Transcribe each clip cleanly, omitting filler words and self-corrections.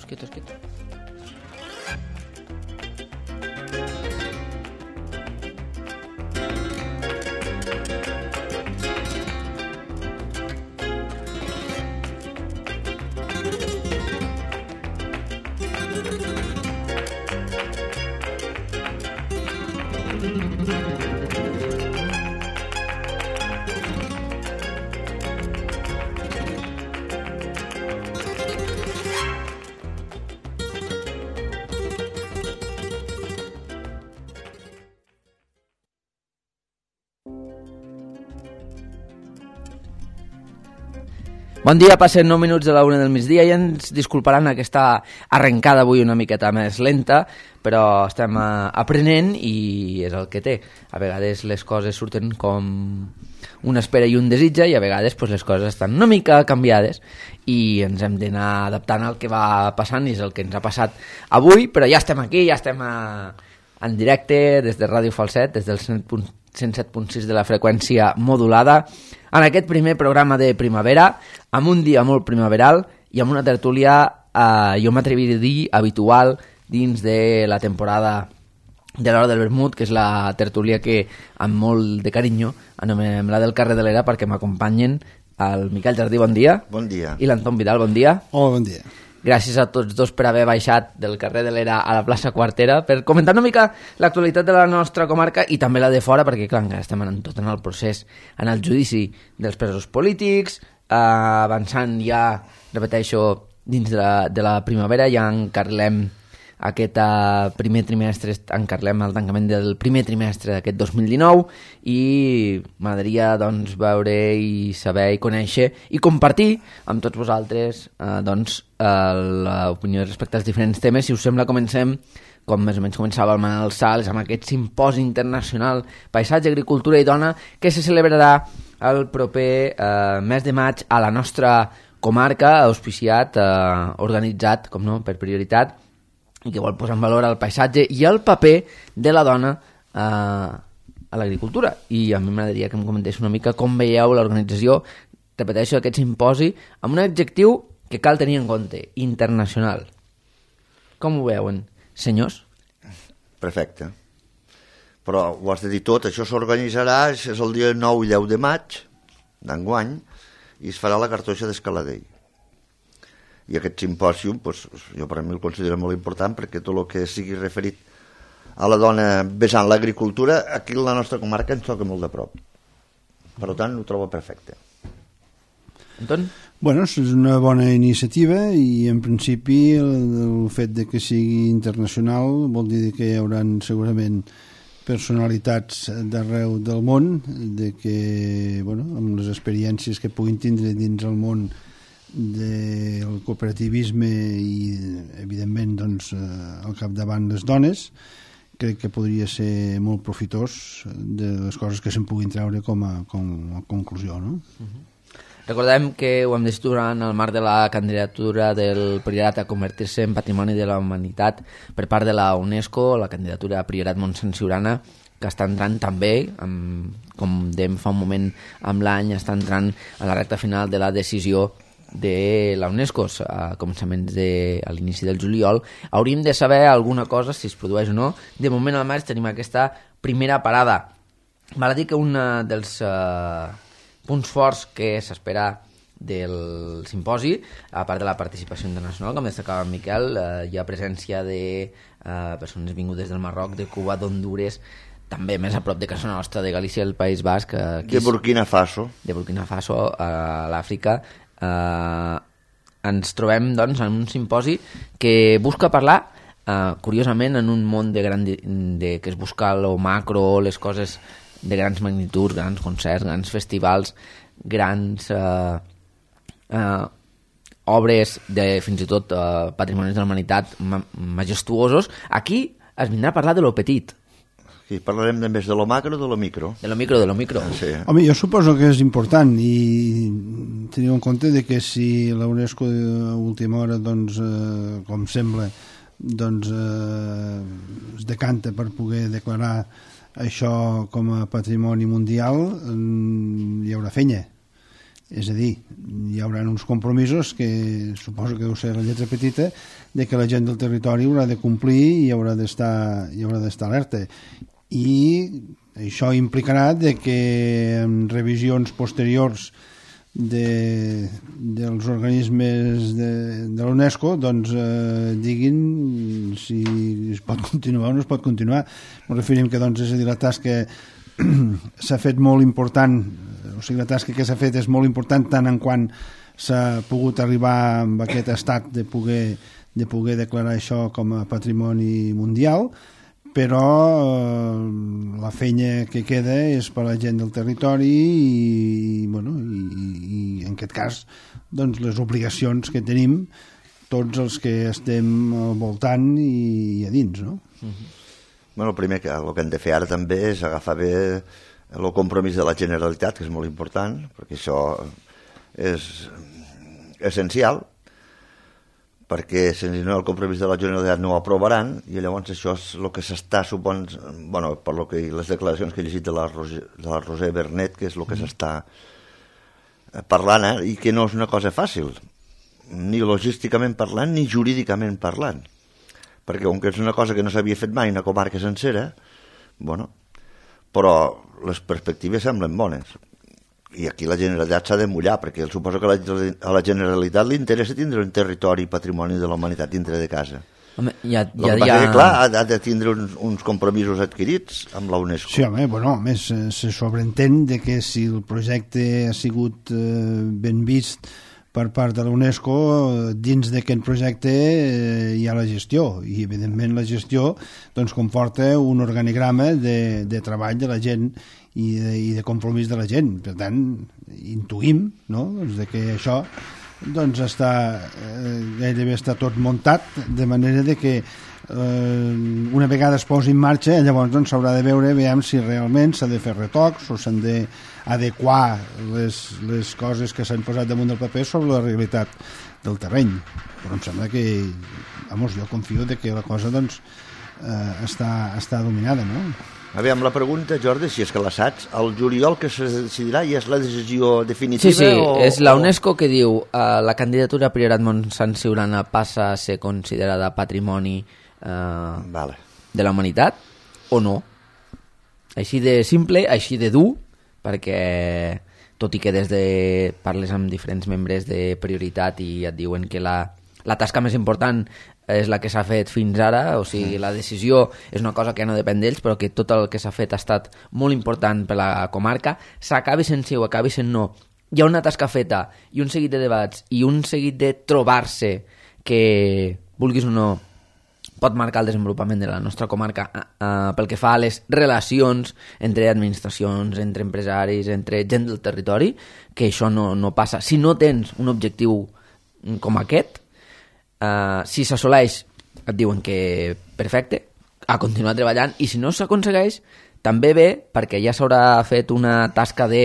quietos. Bon dia, passen 9 minuts de la 1 del migdia i ens disculparan aquesta arrencada avui una miqueta més lenta, però estem aprenent i és el que té. A vegades les coses surten com una espera i un desitja i a vegades les coses estan una mica canviades i ens hem d'anar adaptant al que va passant i és el que ens ha passat avui, però ja estem aquí, ja estem en directe des de Ràdio Falset, des del 107.6 de la freqüència modulada, en aquest primer programa de primavera, amb un dia molt primaveral i amb una tertúlia, jo m'atreviria a dir, habitual dins de la temporada de l'Hora del Vermut, que és la tertúlia que amb molt de carinyo anomenem la del carrer de l'Era, perquè m'acompanyen el Miquel Jardí, bon dia. Bon dia. I l'Anton Vidal, bon dia. Hola, bon dia. Gràcies a tots dos per haver baixat del carrer de l'Era a la plaça Quartera per comentar una mica l'actualitat de la nostra comarca i també la de fora, perquè clar, encara estem tot en el procés, en el judici dels presos polítics, avançant ja, repeteixo, dins de la primavera, ja encarlem aquest primer trimestre, encarlem el tancament del primer trimestre d'aquest 2019 i m'agradaria doncs veure i saber i conèixer i compartir amb tots vosaltres l'opinió respecte als diferents temes. Si us sembla, comencem com més o menys començava el Manel Sals, amb aquest simposi internacional Paisatge, Agricultura i Dona, que se celebrarà el proper mes de maig a la nostra comarca, auspiciat, organitzat, com no, per prioritat, i que vol posar en valor el paisatge i el paper de la dona a l'agricultura. I a mi m'agradaria que em comentés una mica com veieu l'organització, repeteixo, aquest simposi, amb un adjectiu que cal tenir en compte, internacional. Com ho veuen, senyors? Perfecte. Però ho has de dir tot, això s'organitzarà, és el dia 9 i 10 de maig d'enguany, i es farà la cartoixa d'Escaladell. I aquest simpòsium, jo per a mi el considero molt important perquè tot el que sigui referit a la dona vessant l'agricultura, aquí a la nostra comarca ens toca molt de prop. Per tant, ho trobo perfecte. Anton? Bueno, és una bona iniciativa i en principi el fet de que sigui internacional vol dir que hi haurà segurament personalitats d'arreu del món, de que, bueno, amb les experiències que puguin tindre dins el món del cooperativisme i evidentment doncs, al capdavant les dones, crec que podria ser molt profitós de les coses que se'n puguin treure com a conclusió, no? Recordem que ho hem decidit en el marc de la candidatura del Priorat a convertir-se en Patrimoni de la Humanitat per part de la UNESCO, la candidatura a Priorat Montsant Siurana, que està entrant també, com dèiem fa un moment amb l'any, està entrant a la recta final de la decisió de la UNESCO a començaments a l'inici del juliol. Hauríem de saber alguna cosa si es produeix o no. De moment al maig tenim aquesta primera parada. Val a dir que un dels punts forts que s'espera del simposi, a part de la participació internacional, com destacava en Miquel, hi ha presència de persones vingudes del Marroc, de Cuba, d'Hondures, també més a prop de casa nostra, de Galícia, el País Basc, de Burkina Faso, a l'Àfrica. Ens trobem doncs en un simposi que busca parlar curiosament en un món que es busca lo macro, les coses de grans magnituds, grans concerts, grans festivals, grans obres de fins i tot patrimonis de la humanitat majestuosos. Aquí es vindrà a parlar de lo petit. Sí, parlarem més de lo macro o de lo micro? De lo micro. Sí. Home, jo suposo que és important i teniu en compte de que si la UNESCO a última hora, doncs, com sembla, doncs, es decanta per poder declarar això com a patrimoni mundial, hi haurà fenya. És a dir, hi haurà uns compromisos que suposo que deu ser la lletra petita, de que la gent del territori haurà de complir i haurà d'estar alerta. I això implicarà de que en revisions posteriors dels organismes de l'UNESCO doncs diguin si es pot continuar o no es pot continuar. Ens referim que doncs, és a dir, la tasca s'ha fet molt important, o sigui, la tasca que s'ha fet és molt important tant en quant s'ha pogut arribar amb aquest estat de poder declarar això com a patrimoni mundial, però la feina que queda és per a la gent del territori i en aquest cas doncs, les obligacions que tenim tots els que estem al voltant i a dins, no? Bueno, el primer que el que hem de fer ara també és agafar bé el compromís de la Generalitat, que és molt important, perquè això és essencial, perquè si no el compromís de la Generalitat no ho aprovaran, i llavors això és el que s'està per lo que les declaracions que he llegit de la Roser Bernet, que és el que s'està parlant, i que no és una cosa fàcil, ni logísticament parlant ni jurídicament parlant, perquè com que és una cosa que no s'havia fet mai una comarca sencera, però les perspectives semblen bones. I aquí la Generalitat s'ha de mullar, perquè suposo que a la Generalitat li interessa tindre un territori patrimoni de la humanitat dintre de casa. Home, clar, ha de tindre uns compromisos adquirits amb la UNESCO. Sí, home, a més se sobreentén de que si el projecte ha sigut ben vist per part de la UNESCO, dins d'aquest projecte hi ha la gestió, i evidentment la gestió doncs, comporta un organigrama de treball de la gent i de compromís de la gent. Per tant, intuïm, no?, doncs, de que això doncs, gairebé està tot muntat, de manera de que una vegada es posi en marxa, llavors doncs, s'haurà de veure si realment s'ha de fer retocs o s'han d'adequar les coses que s'han posat damunt del paper sobre la realitat del terreny. Però em sembla que, jo confio de que la cosa doncs, està dominada, no? Aviam, la pregunta, Jordi, si és que la saps, el juliol que se decidirà i és la decisió definitiva? Sí, és la UNESCO que diu la candidatura Priorat Montsant Siurana passa a ser considerada patrimoni de la humanitat o no. Així de simple, així de dur, perquè tot i que parles amb diferents membres de Prioritat i et diuen que la tasca més important és la que s'ha fet fins ara, o sigui, la decisió és una cosa que no depèn d'ells, però que tot el que s'ha fet ha estat molt important per la comarca, s'acabi sent sí o acabi sent no. Hi ha una tasca feta i un seguit de debats i un seguit de trobar-se que, vulguis o no, pot marcar el desenvolupament de la nostra comarca pel que fa a les relacions entre administracions, entre empresaris, entre gent del territori, que això no passa. Si no tens un objectiu com aquest, si s'assoleix et diuen que perfecte, a continuar treballant, i si no s'aconsegueix també bé, perquè ja s'haurà fet una tasca de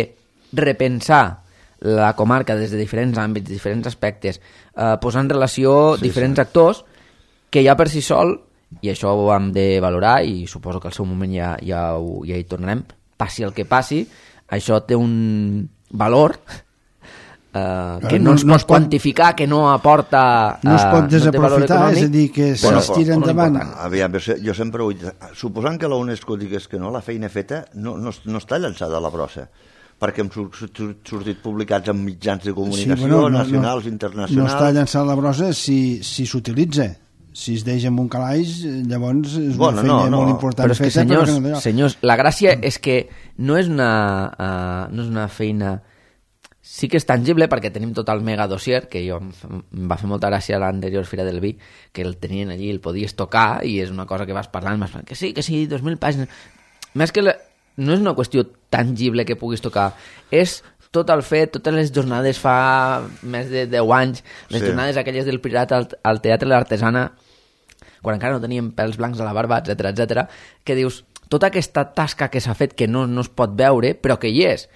repensar la comarca des de diferents àmbits, diferents aspectes, posar en relació diferents actors que ja per si sol, i això ho hem de valorar i suposo que al seu moment ja hi tornarem, passi el que passi, això té un valor que no es pot quantificar, que no aporta... No es pot desaprofitar, és a dir, que s'estira endavant. Aviam, jo sempre ho he dit, suposant que la UNESCO digués que no, la feina feta no està llançada a la brossa, perquè hem sortit publicats en mitjans de comunicació, nacionals, internacionals... No està llançada a la brossa si s'utilitza. Si es deixa en un calaix, llavors és una feina molt important. Però és que, senyors, la gràcia és que no és una feina... Sí que és tangible perquè tenim tot el mega dossier, que jo em va fer molta gràcia a l'anterior Fira del Vi, que el tenien allí, el podies tocar, i és una cosa que vas parlant, que sí, 2.000 pàgines... Més que no és una qüestió tangible que puguis tocar, és tot el fet, totes les jornades fa més de 10 anys, les jornades aquelles del Pirat al Teatre de l'Artesana, quan encara no teníem pèls blancs a la barba, etc, que dius, tota aquesta tasca que s'ha fet que no es pot veure, però que hi és,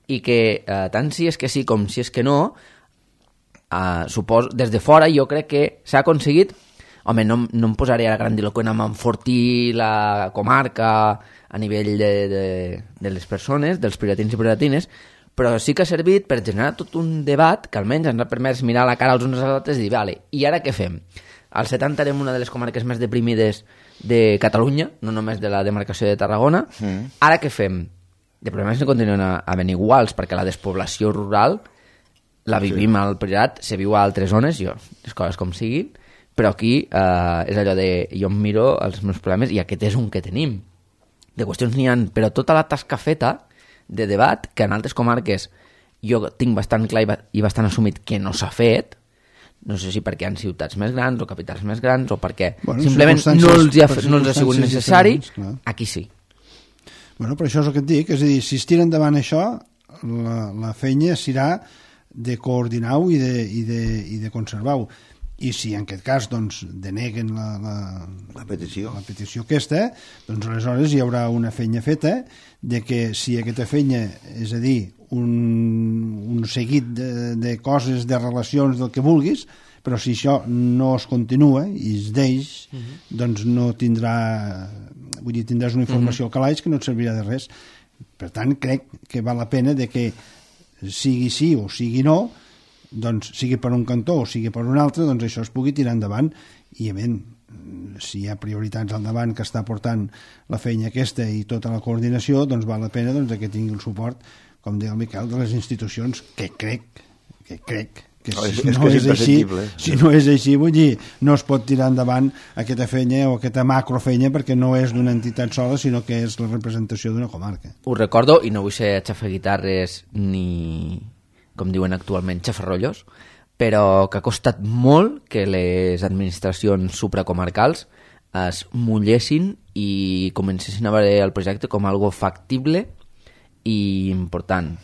i que tant si és que sí com si és que no, suposo, des de fora jo crec que s'ha aconseguit, home, no em posaré a grandiloqüent amb enfortir la comarca a nivell de les persones, dels prioratins i prioratines, però sí que ha servit per generar tot un debat que almenys ens ha permès mirar la cara els uns als altres i dir, vale, i ara què fem? Al 70 érem una de les comarques més deprimides de Catalunya, no només de la demarcació de Tarragona. Ara què fem? De problemes no continuen havent iguals, perquè la despoblació rural la vivim al Priorat, se viu a altres zones, les coses com siguin, però aquí és allò de jo em miro els meus problemes i aquest és un que tenim. De qüestions n'hi ha, però tota la tasca feta de debat, que en altres comarques jo tinc bastant clar i bastant assumit que no s'ha fet, no sé si perquè hi ha ciutats més grans o capitals més grans o perquè simplement no els ha sigut necessari, aquí sí. Bueno, però això és el que et dic, és a dir, si es tira endavant això, la feina serà de coordinar-ho i de conservar-ho. I si en aquest cas doncs, deneguen la petició aquesta, doncs aleshores hi haurà una feina feta de que si aquesta feina, és a dir, un seguit de coses, de relacions, del que vulguis, però si això no es continua i es deix, doncs no tindrà... Vull dir, tindràs una informació al calaix que no et servirà de res. Per tant, crec que val la pena de que sigui sí o sigui no, doncs sigui per un cantó o sigui per un altre, doncs això es pugui tirar endavant i, si hi ha prioritats al davant que està portant la feina aquesta i tota la coordinació, doncs val la pena doncs, que tingui el suport, com deia el Miquel, de les institucions, que crec que si no és així, vull dir, no es pot tirar endavant aquesta feina o aquesta macrofeina perquè no és d'una entitat sola, sinó que és la representació d'una comarca. Ho recordo, i no vull ser xafaguitarres ni, com diuen actualment, xafarrollos, però que ha costat molt que les administracions supracomarcals es mullessin i comencessin a veure el projecte com algo factible i important.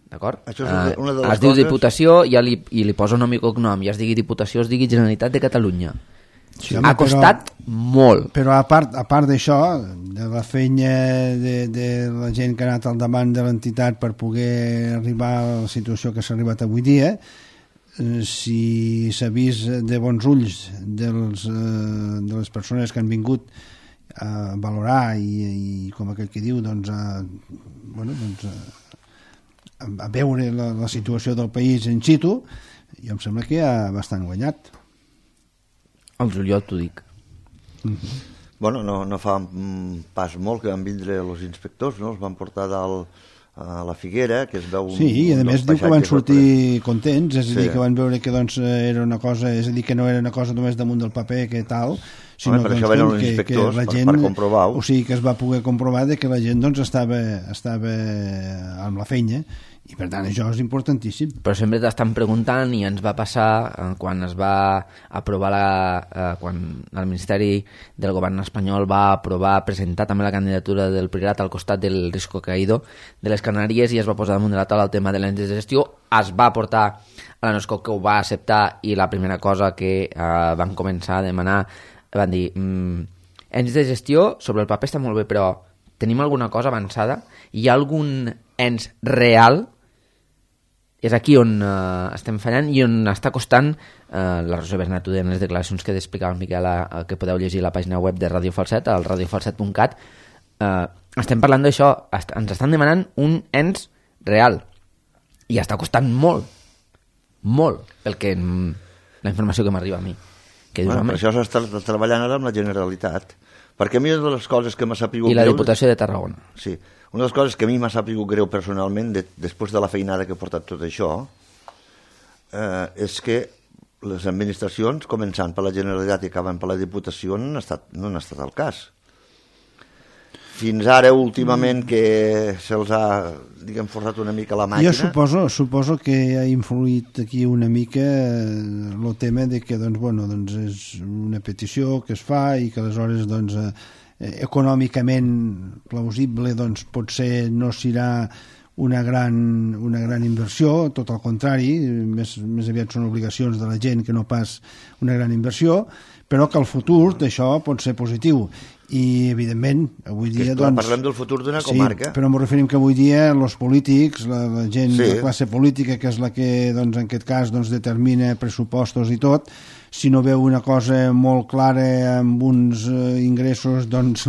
D'acord? Això és una de les es diu Diputació i li posa nom i cognom, ja es digui Diputació, es digui Generalitat de Catalunya. Sí, home, ha costat molt. Però a part d'això, de la feina de la gent que ha anat al davant de l'entitat per poder arribar a la situació que s'ha arribat avui dia, si s'ha vist de bons ulls de les persones que han vingut a valorar i com aquell que diu, doncs a veure la situació del país in situ, jo em sembla que ha bastant guanyat. El juliol t'ho dic. Bueno, no fa pas molt que van vindre els inspectors, no? Els van portar a la Figuera, que es veu... Sí, i a més diu que van sortir contents, és a dir, que van veure que doncs, era una cosa, és a dir, que no era una cosa només damunt del paper que tal, sinó per això venen els inspectors, per comprovar-ho. O sigui, que es va poder comprovar que la gent doncs, estava amb la feina, i per tant això és importantíssim. Però sempre t'estan preguntant, i ens va passar quan es va aprovar quan el Ministeri del Govern espanyol va aprovar presentar també la candidatura del Priorat al costat del Risco Caído de les Canàries, i es va posar damunt de la taula el tema de l'ens de gestió, es va portar a la NOSCO, que ho va acceptar, i la primera cosa que van començar a demanar, van dir ens de gestió sobre el paper està molt bé, però tenim alguna cosa avançada? Hi ha algun ens real? És aquí on estem fallant i on està costant la Rosa Bernat en les declaracions que explicava el Miquel, que podeu llegir a la pàgina web de Radio Falset, al radiofalset.cat. Estem parlant d'això, ens estan demanant un ens real i està costant molt la informació que m'arriba a mi. Per això s'està treballant ara amb la Generalitat, perquè a mi una de les coses que m'ha sapigut... I la Diputació de Tarragona. Sí, una de les coses que a mi m'ha sapigut greu personalment, després de la feinada que ha portat tot això, és que les administracions, començant per la Generalitat i acabant per la Diputació, no han estat al cas. Fins ara, últimament, que se'ls ha, diguem, forçat una mica la màquina... Jo suposo que ha influït aquí una mica el tema de que, doncs, és una petició que es fa i que aleshores, doncs, econòmicament plausible, doncs, potser no serà una gran inversió, tot al contrari, més aviat són obligacions de la gent que no pas una gran inversió, però que el futur d'això pot ser positiu. I, evidentment, avui dia... Parlem del futur d'una comarca. Sí, però m'ho referim que avui dia els polítics, la gent, la classe política, que és la que, doncs, en aquest cas, doncs, determina pressupostos i tot, si no veu una cosa molt clara amb uns ingressos, doncs,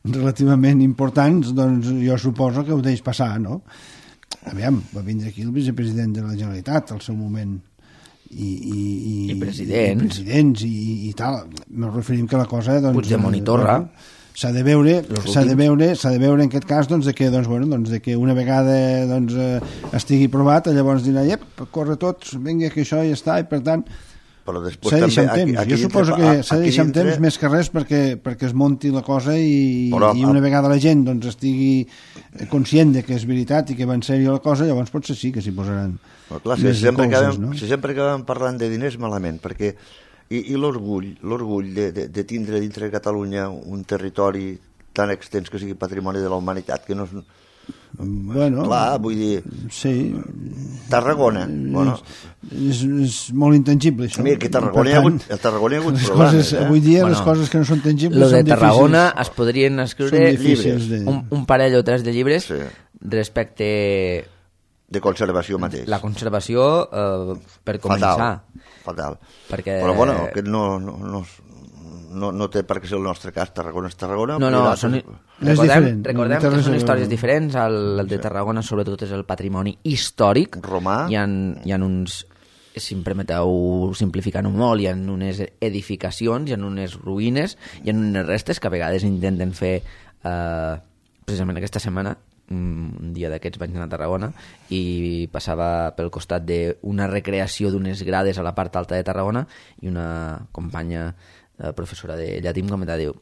relativament importants, doncs jo suposo que ho deix passar, no? aviam, va vindre aquí el vicepresident de la Generalitat al seu moment i presidents i tal. Me referim que la cosa doncs, Puigdemont i Torra s'ha de veure en aquest cas doncs, de que una vegada doncs, estigui provat, llavors dirà corre tots, vinga que això ja està, i per tant però després s'ha de deixar també, temps. Jo suposo que s'ha de deixar temps més que res perquè es monti la cosa i una vegada la gent doncs, estigui conscient de que és veritat i que va en sèrio la cosa, llavors potser sí que s'hi posaran més coses, no? Si sempre acabem parlant de diners malament, perquè i l'orgull de tindre dintre de Catalunya un territori tan extens que sigui patrimoni de la humanitat, que no és... Bueno, clar, vull dir, sí, Tarragona és molt intangible això. Mira, que Tarragona hi ha hagut problemes, avui dia les coses que no són tangibles lo de són Tarragona difícils. es podrien escriure llibres, un parell o tres de llibres respecte de conservació mateix. La conservació per començar fatal. Perquè... però bueno, aquest no té per què ser el nostre cas. Tarragona és Tarragona. Recordem que són històries diferents. El de Tarragona sobretot és el patrimoni històric romà. Hi ha uns, si em permeteu simplificant-ho molt, hi ha unes edificacions, hi ha unes ruïnes, hi ha unes restes que a vegades intenten fer precisament aquesta setmana. Un dia d'aquests vaig anar a Tarragona i passava pel costat d'una recreació d'unes grades a la part alta de Tarragona i una companya professora de llatí em comentava, diu,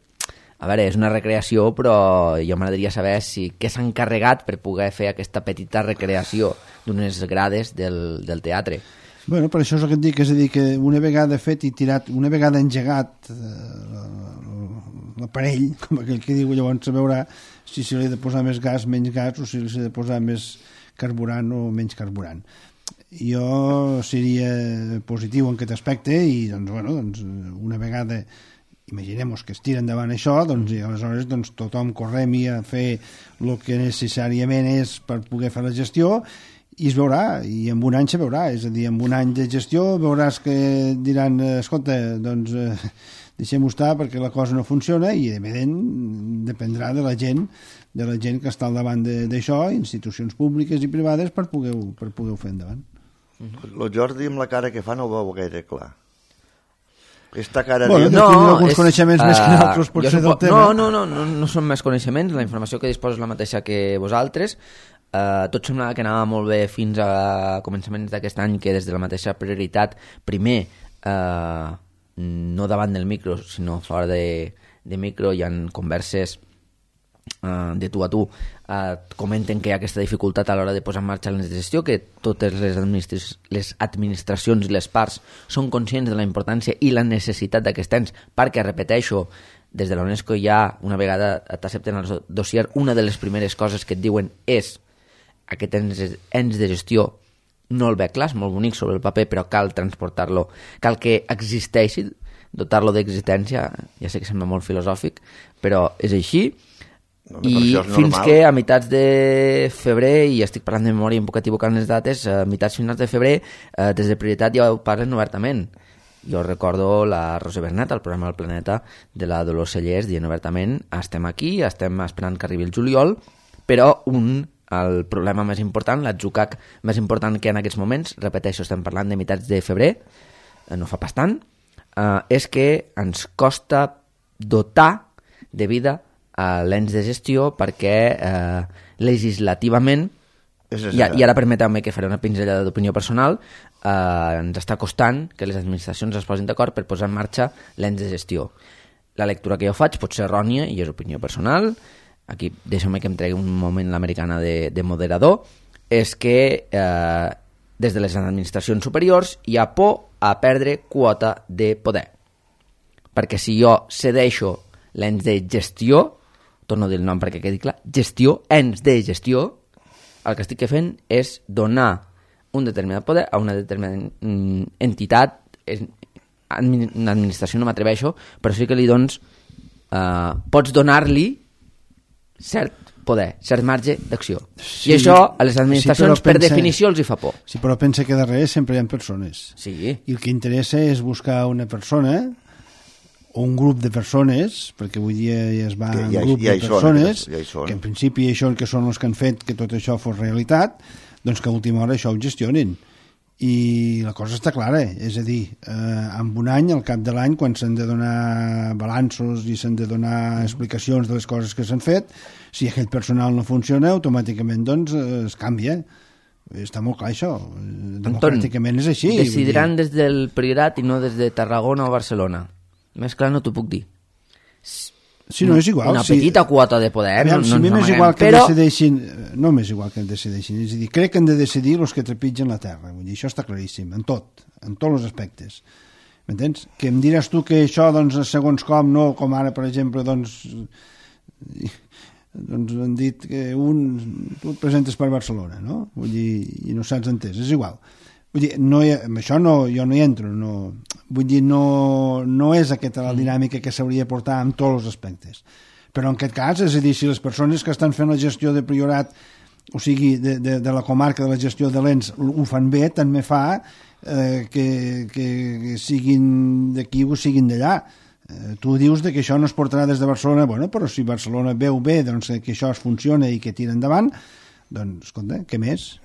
a veure, és una recreació, però jo m'agradaria saber què s'ha encarregat per poder fer aquesta petita recreació d'unes grades del teatre. Bueno, per això és el que et dic, és a dir, que una vegada fet i tirat, una vegada engegat l'aparell, com aquell que diu, llavors se veurà si se li ha de posar més gas, menys gas, o si li ha de posar més carburant o menys carburant. Jo seria positiu en aquest aspecte i doncs, una vegada imaginem que es tira endavant això, doncs, i aleshores tothom correm a fer el que necessàriament és per poder fer la gestió i es veurà, i en un any se veurà, és a dir, en un any de gestió veuràs que diran, escolta, doncs deixem-ho estar perquè la cosa no funciona i evident dependrà de la gent que està al davant d'això, institucions públiques i privades per poder-ho fer endavant. El Jordi amb la cara que fa no ho veu gaire clar. Aquesta cara tindrà alguns coneixements més que nosaltres potser del tema. No són més coneixements, la informació que disposo és la mateixa que vosaltres. Tot semblava que anava molt bé fins a començaments d'aquest any, que des de la mateixa prioritat, primer no davant del micro sinó fora de micro hi ha converses de tu a tu, comenten que hi ha aquesta dificultat a l'hora de posar en marxa l'ens de gestió, que totes les administracions i les parts són conscients de la importància i la necessitat d'aquest ens, perquè, repeteixo, des de la UNESCO ja, una vegada t'accepten el dossier, una de les primeres coses que et diuen és aquest ens de gestió no el veig clar, és molt bonic sobre el paper, però cal transportar-lo, cal que existeixi, dotar-lo d'existència, ja sé que sembla molt filosòfic, però és així. I fins que a meitats de febrer, i estic parlant de memòria, em puc equivocar en les dates, a meitats finals de febrer, des de prioritat ja ho parlen obertament. Jo recordo la Rosa Bernet, al programa El Planeta, de la Dolors Cellers, dient obertament, estem aquí, estem esperant que arribi el juliol, però el problema més important, l'atzucac més important que en aquests moments, repeteixo, estem parlant de meitats de febrer, no fa pas tant, és que ens costa dotar de vida a l'ens de gestió perquè legislativament, i ara permeteu-me que faré una pinzellada d'opinió personal, ens està costant que les administracions es posin d'acord per posar en marxa l'ens de gestió. La lectura que jo faig pot ser errònia i és opinió personal, aquí deixeu-me que em tregui un moment l'americana de moderador, és que des de les administracions superiors hi ha por a perdre quota de poder. Perquè si jo cedeixo l'ens de gestió, torno a dir el nom perquè quedi clar, gestió, ens de gestió, el que estic fent és donar un determinat poder a una determinada entitat, una administració no m'atreveixo, però sí que li dones, pots donar-li cert poder, cert marge d'acció. Sí, i això a les administracions per definició els hi fa por. Sí, però pensa que darrere sempre hi ha persones. Sí. I el que interessa és buscar una persona o un grup de persones, perquè avui dia ja es va en grup de persones, que en principi això que són els que han fet que tot això fos realitat, doncs que a última hora això ho gestionin. I la cosa està clara, és a dir, en un any, al cap de l'any, quan s'han de donar balanços i s'han de donar explicacions de les coses que s'han fet, si aquell personal no funciona, automàticament doncs es canvia. Està molt clar això. Democràticament és així. Decidiran des del Priorat i no des de Tarragona o Barcelona. Més clar no t'ho puc dir. Sí, no, és igual. Una petita quota de poder. Aviam, no si a mi m'és igual que però... decideixin... No m'és igual que decideixin. És a dir, crec que han de decidir els que trepitgen la terra. Vull dir, això està claríssim, en tots els aspectes. M'entens? Que em diràs tu que això, doncs, segons com, no, com ara, per exemple, doncs han dit que tu et presentes per Barcelona, no? Vull dir, i no saps entès, és igual. Vull dir, amb això jo no hi entro, vull dir, no és aquesta la dinàmica que s'hauria de portar en tots els aspectes. Però en aquest cas, és a dir, si les persones que estan fent la gestió de Priorat, o sigui, de la comarca de la gestió de l'ENS, ho fan bé, també fa que siguin d'aquí o siguin d'allà. Tu dius que això no es portarà des de Barcelona, bueno, però si Barcelona veu bé doncs, que això es funciona i que tira endavant, doncs, escolta, què més?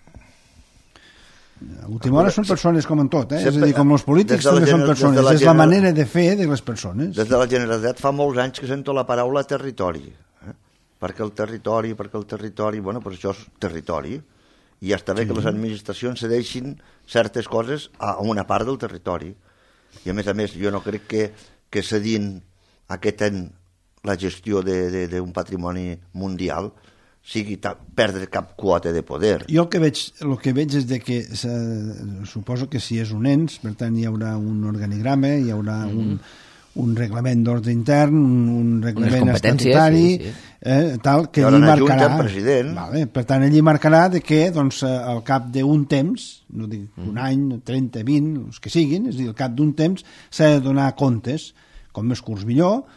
A última hora són persones com en tot, és a dir, com els polítics també són persones, és la manera de fer de les persones. Des de la Generalitat fa molts anys que sento la paraula territori, perquè el territori, bueno, però això és territori, i ja està bé que les administracions cedeixin certes coses a una part del territori, i a més jo no crec que cedint aquest any la gestió d'un patrimoni mundial sigui perdre cap quota de poder. Jo el que veig és que suposo que si és un ens, per tant hi haurà un organigrama, hi haurà un reglament d'ordre intern, un reglament estatutari, tal, que allí marcarà. Vale, per tant, allí marcarà que doncs, al cap d'un temps, no dic un any, 30, 20, els que siguin, és a dir, al cap d'un temps s'ha de donar comptes, com més curts millor,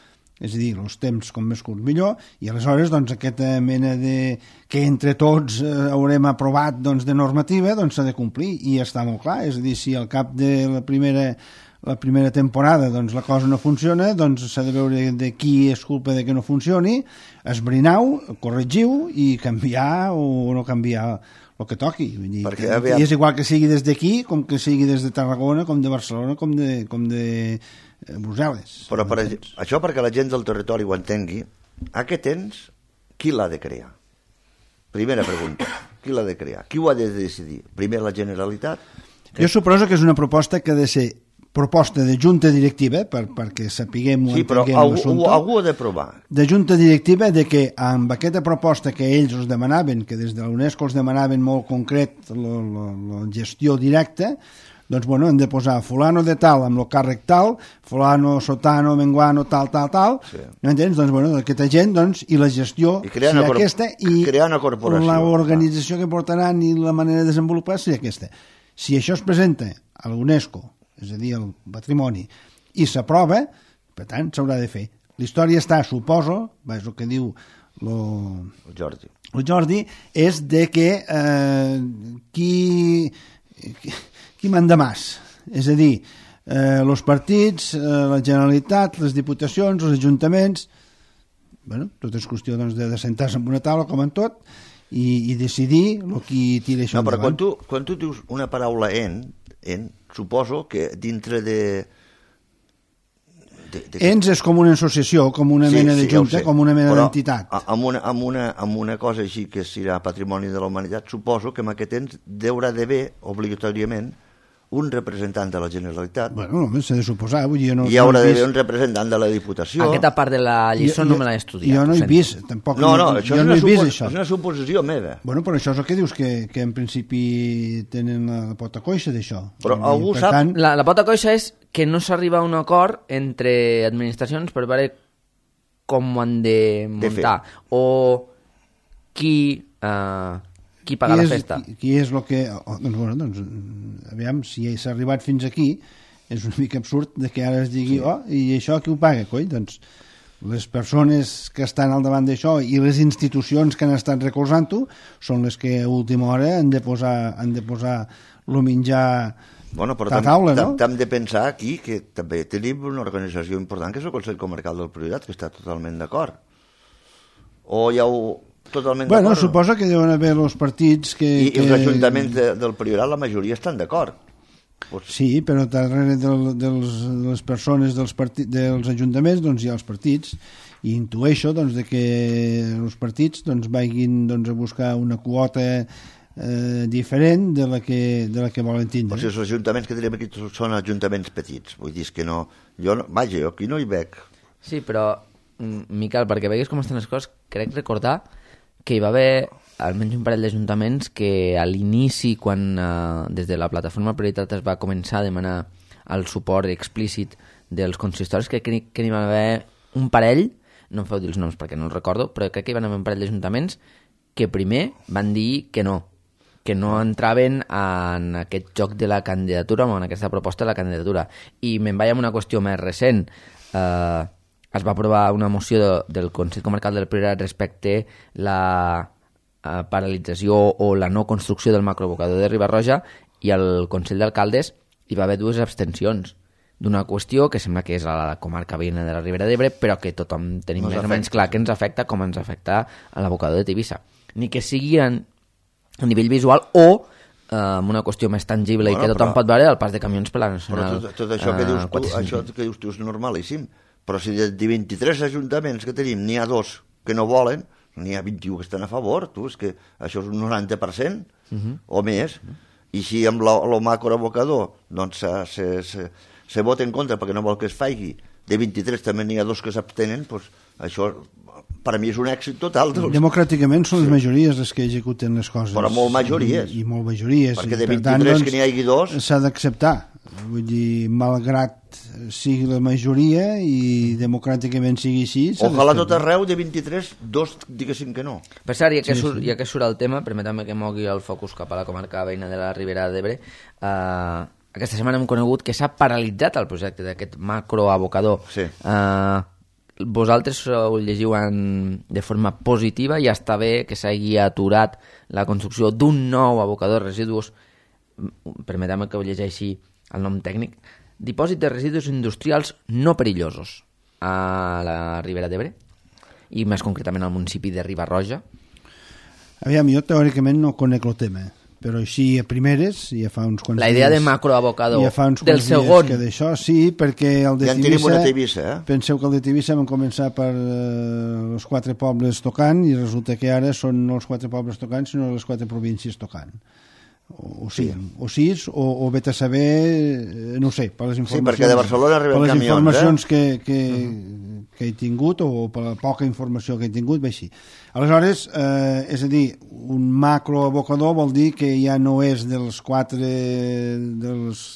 és a dir, els temps com més curts millor, i aleshores doncs, aquesta mena que entre tots haurem aprovat doncs, de normativa doncs, s'ha de complir, i està molt clar, és a dir, si al cap de la primera temporada doncs, la cosa no funciona, doncs s'ha de veure de qui és culpa de que no funcioni, esbrinau, corregiu i canviar o no canviar el que toqui. Vull dir, i és igual que sigui des d'aquí, com que sigui des de Tarragona, com de Barcelona, com de Brussel·les. Però això perquè la gent del territori ho entengui, aquest ens, qui l'ha de crear? Primera pregunta, qui l'ha de crear? Qui ho ha de decidir? Primer la Generalitat? Jo suposo que és una proposta que ha de ser proposta de junta directiva, perquè sapiguem o entenguem l'assumpte. Sí, però algú ha de provar. De junta directiva de que amb aquesta proposta que ells els demanaven, que des de la UNESCO els demanaven molt concret la gestió directa, doncs, bueno, hem de posar fulano de tal amb el càrrec tal, fulano, sotano, menguano, tal, sí. No entens? Doncs, bueno, aquesta gent, doncs, i la gestió serà aquesta, i l'organització que portaran i la manera de desenvolupar serà aquesta. Si això es presenta a l'UNESCO, és a dir, el patrimoni, i s'aprova, per tant, s'haurà de fer. La història està, suposo, és el que diu el Jordi, és de que qui manda més, és a dir, els partits, la Generalitat, les diputacions, els ajuntaments, bueno, tot és qüestió doncs, de sentar-se en una taula com en tot i decidir qui tira això endavant. No, però quan tu dius una paraula suposo que dintre de... Ens és com una associació, com una mena de junta, com una mena d'entitat. Amb una cosa així que serà patrimoni de la humanitat, suposo que amb aquest ens deurà d'haver, obligatòriament, un representant de la Generalitat. Bueno, només s'ha de suposar. Vull dir, hi haurà d'haver un representant de la Diputació. Aquesta part de la lliçó no me l'he estudiat. Jo no he vist, tampoc. No, això és una suposició meva. Bueno, però això és el que dius, que en principi tenen la pota coixa d'això. Però algú sap... La pota coixa és que no s'arriba a un acord entre administracions per veure com ho han de muntar. O qui paga la festa. Qui és el que... Doncs, aviam, si s'ha arribat fins aquí, és una mica absurd que ara es digui, i això qui ho paga, coi? Doncs les persones que estan al davant d'això i les institucions que han estat recolzant-ho són les que a última hora han de posar el menjar a taula, no? Hem de pensar aquí que també tenim una organització important que és el Consell Comarcal del Priorat, que està totalment d'acord. O ja totalment Bueno, d'acord. suposo que deuen haver els partits que... I els ajuntaments del Priorat, la majoria estan d'acord. Sí, però darrere de les persones dels ajuntaments doncs hi ha els partits, i intueixo doncs, de que els partits doncs, vagin doncs, a buscar una quota diferent de la que volen tindre. O sigui, els ajuntaments que tenim aquí són ajuntaments petits, vull dir que no... Jo aquí no hi veig. Sí, però, Miquel, perquè veguis com estan les coses, crec recordar que hi va haver almenys un parell d'ajuntaments que a l'inici, quan des de la plataforma Prioritat es va començar a demanar el suport explícit dels consistoris, crec que n'hi va haver un parell, no em feu dir els noms perquè no els recordo, però crec que hi va haver un parell d'ajuntaments que primer van dir que no entraven en aquest joc de la candidatura o en aquesta proposta de la candidatura. I me'n vaig amb una qüestió més recent. Es va aprovar una moció del Consell Comarcal del Priorat respecte la paralització o la no construcció del macroabocador de Riba-roja, i al Consell d'Alcaldes hi va haver 2 abstencions d'una qüestió que sembla que és a la comarca veïna de la Ribera d'Ebre, però que tothom tenim més o menys clar que ens afecta com ens afecta a l'abocador de Tivissa. Ni que sigui a nivell visual o amb una qüestió més tangible i que tothom pot veure el pas de camions per la Nacional. Però tot això que dius tu és normalíssim. Però si de 23 ajuntaments que tenim n'hi ha 2 que no volen, n'hi ha 21 que estan a favor, és que això és un 90% o més. I si amb el macroabocador doncs, se vota en contra perquè no vol que es faci, de 23 també n'hi ha 2 que s'abstenen, doncs això per a mi és un èxit total. Democràticament són les majories les que executen les coses. Però molt majories. I molt majories. Perquè de 23 que n'hi hagi 2... S'ha d'acceptar. Vull dir, malgrat sigui la majoria i democràticament sigui així... Ojalà tot arreu de 23, 2 diguessin que no. Per cert, ja que surt el tema, permetem que mogui el focus cap a la comarca veïna de la Ribera d'Ebre. Aquesta setmana hem conegut que s'ha paralitzat el projecte d'aquest macroabocador. Sí. Vosaltres ho llegiu de forma positiva i està bé que s'hagi aturat la construcció d'un nou abocador de residus, permetem que ho llegeixi el nom tècnic, dipòsit de residus industrials no perillosos a la Ribera d'Ebre i més concretament al municipi de Riba-roja. Aviam, jo teòricament no conec el tema, però així a primeres, ja fa uns quants la idea dies, de macroabocador ja fa uns del quants segon dies que d'això, sí, perquè el de ja en tenim una Tivissa, penseu que el de Tivissa vam començar per els 4 pobles tocant i resulta que ara són no els 4 pobles tocant sinó les 4 províncies tocant. O 6, o vet a saber, no ho sé, per les informacions, sí, perquè de Barcelona arriben camions, per les informacions que he tingut o per la poca informació que he tingut, ve així. Aleshores, és a dir, un macroabocador vol dir que ja no és dels 4 dels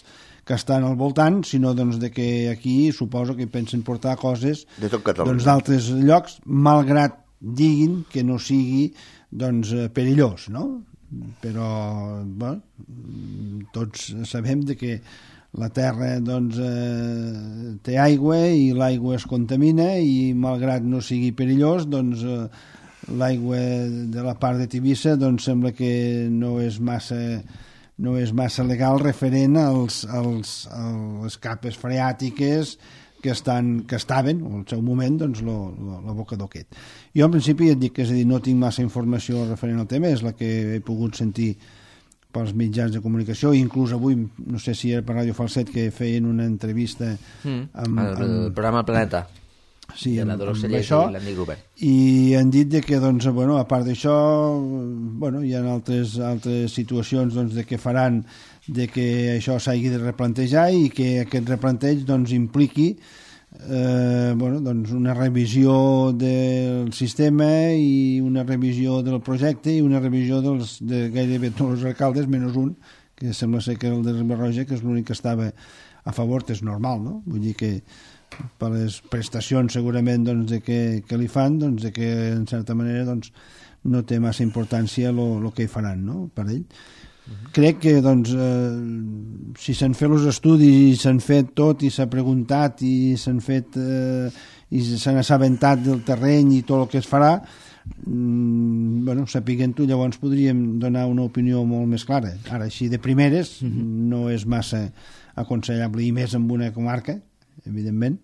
que estan al voltant, sinó doncs, de que aquí suposo que pensen portar coses de tot Catalunya, doncs, d'altres llocs, malgrat diguin que no sigui doncs, perillós, no? Però bueno, tots sabem de que la terra doncs, té aigua i l'aigua es contamina i malgrat no sigui perillós doncs, l'aigua de la part de Tivissa doncs, sembla que no és massa legal referent a les capes freàtiques que estaven, o al seu moment, doncs, l'abocador aquest. Jo, en principi, et dic que és a dir, no tinc massa informació referent al tema, és la que he pogut sentir pels mitjans de comunicació, i inclús avui, no sé si era per Ràdio Falset, que feien una entrevista amb el programa Planeta, sí, de la Dolors Cellers i l'Andy Gruber. I han dit que, doncs, bueno, a part d'això, bueno, hi ha altres situacions doncs, de què faran de que això s'hagi de replantejar i que aquest replanteig doncs, impliqui bueno, doncs una revisió del sistema i una revisió del projecte i una revisió de gairebé tots els alcaldes, menys un, que sembla ser que el de Riba-roja, que és l'únic que estava a favor, que és normal, no? Vull dir que per les prestacions segurament doncs, de que li fan, doncs, de que en certa manera doncs, no té massa importància el que hi faran, no? Per ell. Crec que doncs, si s'han fet els estudis i s'han fet tot i s'ha preguntat i s'han fet i s'han assabentat del terreny i tot el que es farà, bueno, sapiguent-ho llavors podríem donar una opinió molt més clara. Ara, així de primeres no és massa aconsellable, i més en una comarca, evidentment,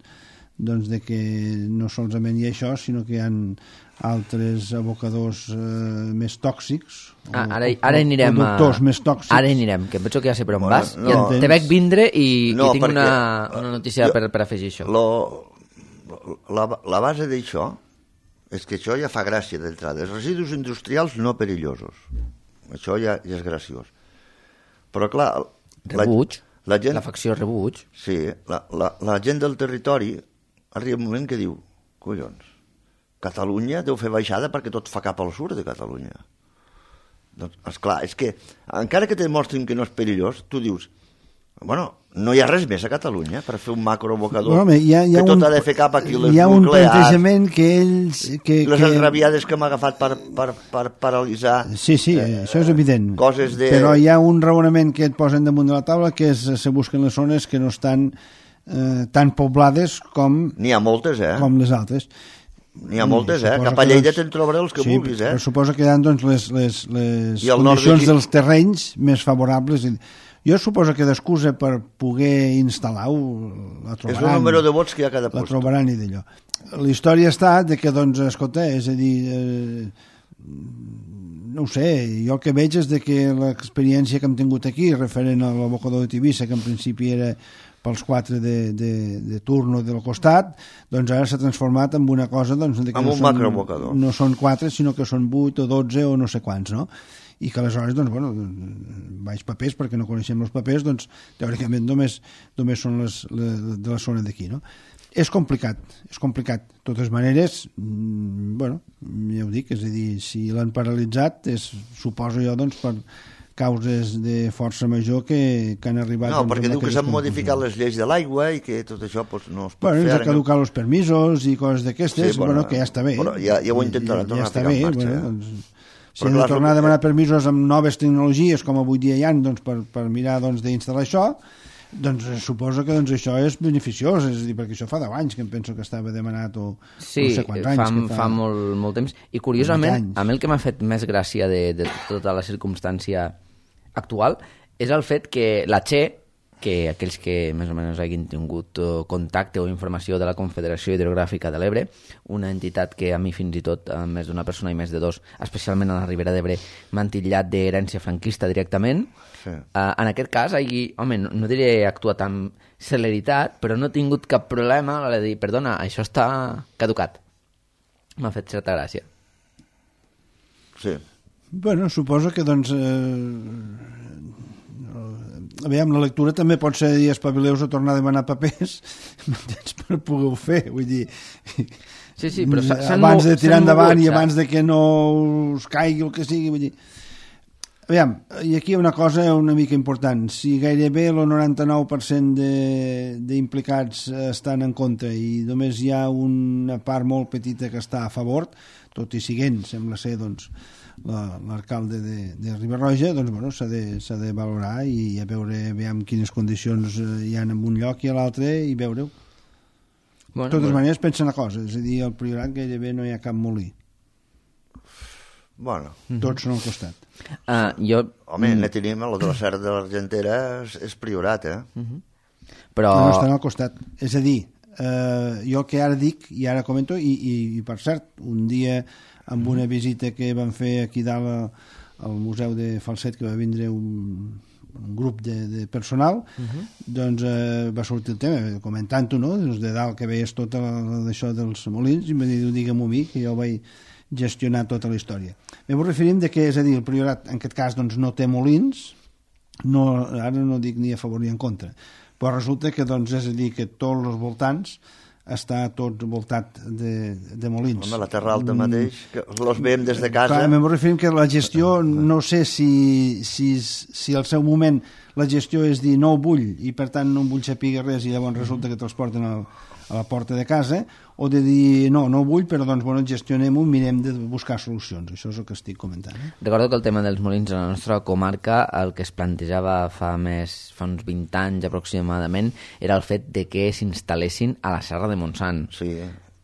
doncs de que no solament hi ha això, sinó que hi ha altres abocadors més tòxics, ara anirem productors més tòxics. Ara anirem, que em penso que ja sé per on vas. No, te veig vindre i tinc perquè una notícia per afegir això. La base d'això és que això ja fa gràcia d'entrada. Els residus industrials no perillosos. Això ja és graciós. Però clar... Rebuig, la facció rebuig. Sí, la gent del territori arriba un moment que diu, collons, Catalunya deu fer baixada perquè tot fa cap al sud de Catalunya. Doncs, esclar, és que encara que te demostrin que no és perillós, tu dius, bueno, no hi ha res més a Catalunya per fer un macroabocador que tot ha de fer cap aquí les nuclears. Hi ha un plantejament que ells... Les enrabiades que hem agafat per paralitzar... Sí, això és evident. Coses de... Però hi ha un raonament que et posen damunt de la taula, que és se busquen les zones que no estan tan poblades com... N'hi ha moltes, com les altres. N'hi ha moltes, Cap a Lleida te'n trobaré els que vulguis, Però suposo que hi ha doncs, les condicions dels terrenys més favorables. Jo suposo que d'excusa per poder instal·lar-ho la trobaran. És el número de vots que hi ha a cada la post. Trobaran i d'allò. La història està de que, doncs, escolta, és a dir... no ho sé, jo el que veig és de que l'experiència que hem tingut aquí, referent a l'abocador de Tivissa, que en principi era pels 4 de turno del costat, doncs ara s'ha transformat en una cosa... Doncs, que en un macroabocador. No són 4, sinó que són 8 o 12 o no sé quants, no? I que aleshores, doncs, bueno, baix papers, perquè no coneixem els papers, doncs, teòricament només són de la zona d'aquí, no? És complicat. De totes maneres, bueno, ja ho dic, és a dir, si l'han paralitzat, suposo jo, doncs, per causes de força major que han arribat... No, perquè diu que s'han modificat les lleis de l'aigua i que tot això pues, no es pot fer... Bueno, ens ha caducat els permisos i coses d'aquestes, bueno, que ja està bé. Però ja ho intentarà tornar a ficar en marxa. Doncs, si hem de tornar a demanar permisos amb noves tecnologies, com avui dia hi ha, doncs, per mirar d'instal·lar això, doncs suposo que això és beneficiós, és a dir, perquè això fa 10 anys que em penso que estava demanat o no sé quants anys. Sí, fa molt temps. I curiosament, a mi el que m'ha fet més gràcia de tota la circumstància actual és el fet que la Che, que aquells que més o menys hagin tingut contacte o informació de la Confederació Hidrogràfica de l'Ebre, una entitat que a mi fins i tot més d'una persona i més de dos, especialment a la Ribera d'Ebre, m'han titllat d'herència franquista directament. Sí. En aquest cas, home, no diré actuat amb celeritat, però no he tingut cap problema a l'hora de dir, perdona, això està caducat. M'ha fet certa gràcia. Sí. Bueno, suposo que, doncs... aviam, la lectura també pot ser dir espavileu a tornar a demanar papers per poder-ho fer, vull dir... Sí, però abans de tirar endavant i abans de que no us caigui el que sigui, vull dir... Aviam, i aquí hi ha una cosa una mica important. Si gairebé el 99% d'implicats estan en contra i només hi ha una part molt petita que està a favor, tot i siguent, sembla ser, doncs, l'alcalde de Riba-roja, doncs, bueno, s'ha de valorar i a veure quines condicions hi ha en un lloc i a l'altre i veure-ho. De totes maneres, pensa una cosa, és a dir, al Priorat gairebé no hi ha cap molí. Bueno. Tots són al costat. Home, ne tenim el de la Serra de l'Argentera, és Priorat, Però... No estan al costat. És a dir, jo el que ara dic, i ara comento, i per cert, un dia amb una visita que vam fer aquí dalt al Museu de Falset, que va vindre un grup de personal, doncs va sortir el tema, comentant-ho, no? De dalt que veies tot això dels molins, i em va dir, digue-m'ho a mi, que jo vaig gestionar tota la història. Ens referim de que, és a dir, el Priorat, en aquest cas, doncs, no té molins, ara no dic ni a favor ni en contra, però resulta que, doncs, és a dir, que tots els voltants està tot voltat de molins. Home, la Terra Alta mateix, que els veiem des de casa... Clar, em referim que la gestió, no sé si al seu moment la gestió és dir no ho vull i per tant no em vull saber res i llavors resulta que te'ls porten a la porta de casa, o de dir no ho vull, però doncs bueno, gestionem-ho, mirem de buscar solucions. Això és el que estic comentant. Recordo que el tema dels molins a la nostra comarca, el que es plantejava fa uns 20 anys aproximadament, era el fet de que s'instal·lessin a la Serra de Montsant. Sí.